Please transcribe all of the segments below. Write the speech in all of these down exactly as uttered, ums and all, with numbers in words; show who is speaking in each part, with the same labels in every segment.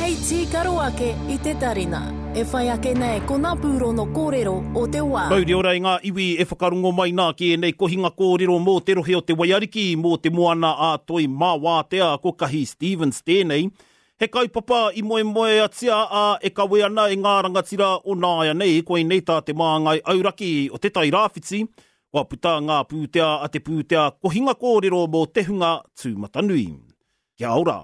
Speaker 1: Hei tīkaro ake i te tarina. E whai ake nei ko ngā pūrono kōrero o te wā.
Speaker 2: Mauri ora i ngā iwi e whakarongo mai nā ki ēnei kohinga kōrero mō te rohe o te Waiariki, mō te moana a Toi Māwātea, ko Kahi Stevens tēnei. He kaupapa i moemoeatia a e kawe ana e ngā rangatira o nāianei, koinei tā te māngai auraki o te Tairāwhiti, kua puta ngā pūtea a te pūtea kohinga kōrero mō te hunga tūmatanui. Kia ora!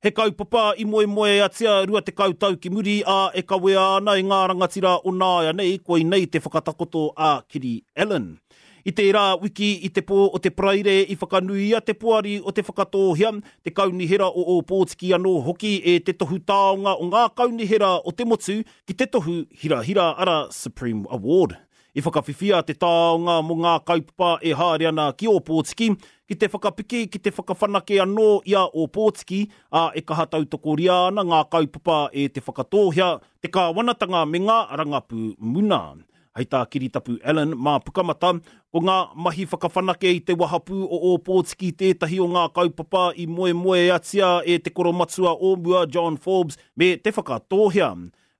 Speaker 2: He kaupapa i moemoeatia rua tekau tau ki muri a e kawea ana e ngā rangatira o nāianei, koinei te whakatakoto a Kiri Allan. I tērā wiki i te pō o te Paraire i whakanuia te poari o Te Whakatōhea, te kaunihera o Ōpōtiki anō hoki e te tohu taonga o ngā kaunihera o te motu ki te tohu hirahira ara Supreme Award. I whakawhiwhia te taonga mō ngā kaupapa e haere ana ki Ōpōtiki, ki te whakapiki, ki te whakawhanake anō i a Ōpōtiki, ā, e kaha tautokoria ana ngā kaupapa e Te Whakatōhea, te kāwanatanga me ngā rangapū muna. Hei tā Kiritapu Allan mā Pukamata, ko ngā mahi whakawhanake i te wahapū o Ōpōtiki tētahi o ngā kaupapa i moemoeatia e te koromatua o mua John Forbes me Te Whakatōhea.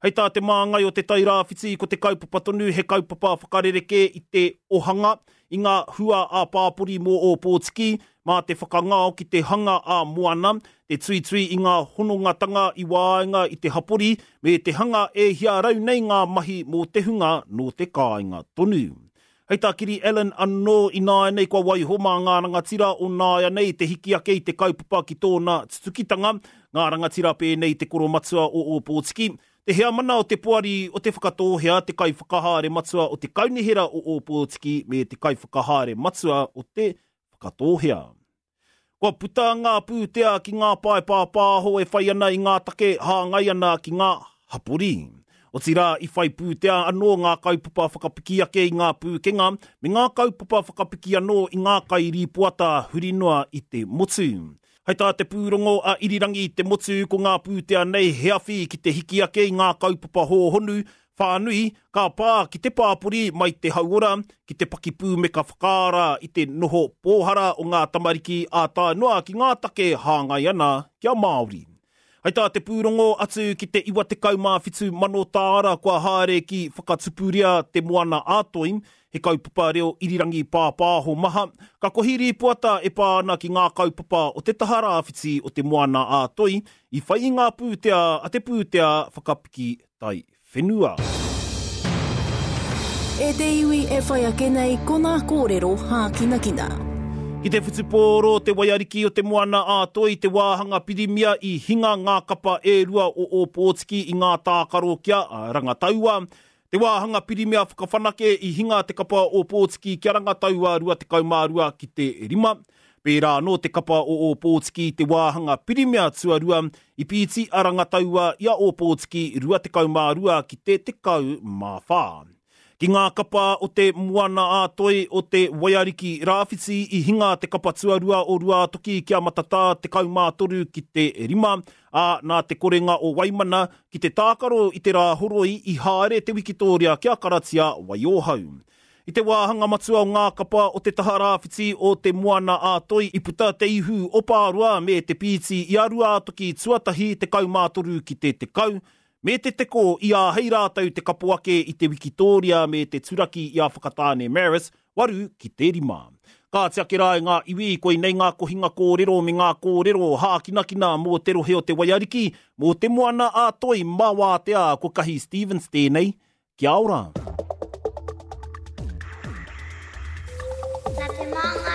Speaker 2: Hei tā te māngai o te Tairāwhiti ko te kaupapa tonu he kaupapa whakarerekē i te ohanga, i ngā hua ā-pāpori mō Ōpōtiki, mā te whakangao ki te hanga ā-moana, te tuitui i ngā honongatanga i waenga i te hapori, me te hanga e hia rau nei ngā mahi mō te hunga nō te kāinga tonu. Hei tā Kiri Allan anō ināianei kua waiho mā ngā rangatira o nāianei te hiki ake i te kaupapa ki tōna tutukitanga, ngā rangatira pēnei te koromatua o Ōpōtiki, te heamana o te poari o Te Whakatōhea, te kaiwhakahaere matua o te kaunihera o Ōpōtiki me te kaiwhakahaere matua o Te Whakatōhea. Kua puta ngā pūtea ki ngā pae pāpāho e whai ana i ngā take hāngai ana ki ngā hapori. Otirā i whai pūtea anō ngā kaupapa whakapiki ake i ngā pūkenga me ngā kaupapa whakapiki anō i ngā kairīpoata huri noa i te motu. Hei tā te pūrongo a Irirangi i te motu ko ngā pūtea nei he awhi ki te hiki ake i ngā kaupapa hōhonu whānui ka pā ki te pāpori mai te hauora, ki te pakipūmeka whakaara i te noho pōhara o ngā tamariki ā tae noa ki ngā take hāngai ana kia Māori. Hei tā te pūrongo atu ki te iwa tekau mā whitu mano tāra kua haere ki Whakatupuria te Moana ā-Toi, he kaupapa reo irirangi pāpāho maha, ka kohi rīpoata e pā ana ki ngā kaupapa o te taha rāwhiti o te Moana ā-Toi i whai i ngā pūtea a te pūtea whakapiki tai whenua.
Speaker 1: E te iwi e whai ake nei ko ngā kōrero hākinakina.
Speaker 2: Ki te whutupōro te Waiariki o te Moana ā-Toi te wāhanga pirimia i hinga ngā kapa e rua o Ōpōtiki i ngā tākaro kia Rangataua. Te wāhanga pirimia whakawhanake i hinga te kapa Ōpōtiki kia Rangataua rua tekau mā rua ki te rima. Pērā anō te kapa o Ōpōtiki te wāhanga pirimia tuarua i pīti a Rangataua i a Ōpōtiki rua tekau mā rua ki te tekau mā whā. Ki ngā kapa o te Moana ā-Toi o te Waiariki Rāwhiti i hinga te kapa tuarua o Ruātoki kia Matatā tekau mā toru ki te rima, ā, nā te korenga o Waimana ki te tākaro i te rā horoi i haere te wikitōria kia Karatia Waiohau. I te wāhanga matua o ngā kapa o te taha rāwhiti o te Moana ā-Toi i puta te ihu o Pāroa me te pīti i a Ruātoki tuatahi tekau mā toru ki te tekau, me te teko i āhei rātou te kapo ake i te wikitōria me te turaki i a Whakatāne Maris, waru ki te rima. Ka tiake rā e ngā iwi, koinei ngā kohinga kōrero me ngā kōrero hākinakina mō te rohe o te Waiariki, mō te Moana ā-Toi mā Wātea, ko Kahi Stevens tēnei. Kia ora!
Speaker 3: Nā te māngai